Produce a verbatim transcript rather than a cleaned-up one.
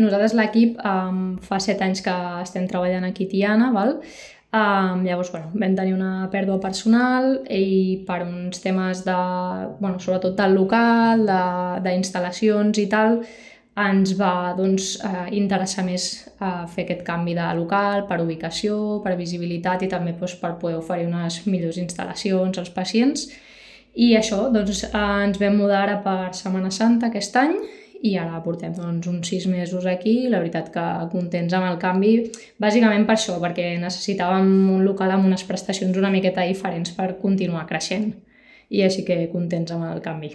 Nosaltres l'equip um, fa set anys que estem treballant aquí a Tiana, val? Um, llavors, bueno, vam tenir una pèrdua personal i per uns temes de, bueno, sobretot del local, d'instal·lacions i tal, ens va doncs, eh, interessar més eh, fer aquest canvi de local per ubicació, per visibilitat i també doncs, per poder oferir unes millors instal·lacions als pacients. I això, doncs, eh, ens vam mudar ara per Setmana Santa aquest any i ara portem doncs, uns sis mesos aquí i la veritat que contents amb el canvi, bàsicament per això, perquè necessitàvem un local amb unes prestacions una miqueta diferents per continuar creixent i així que contents amb el canvi.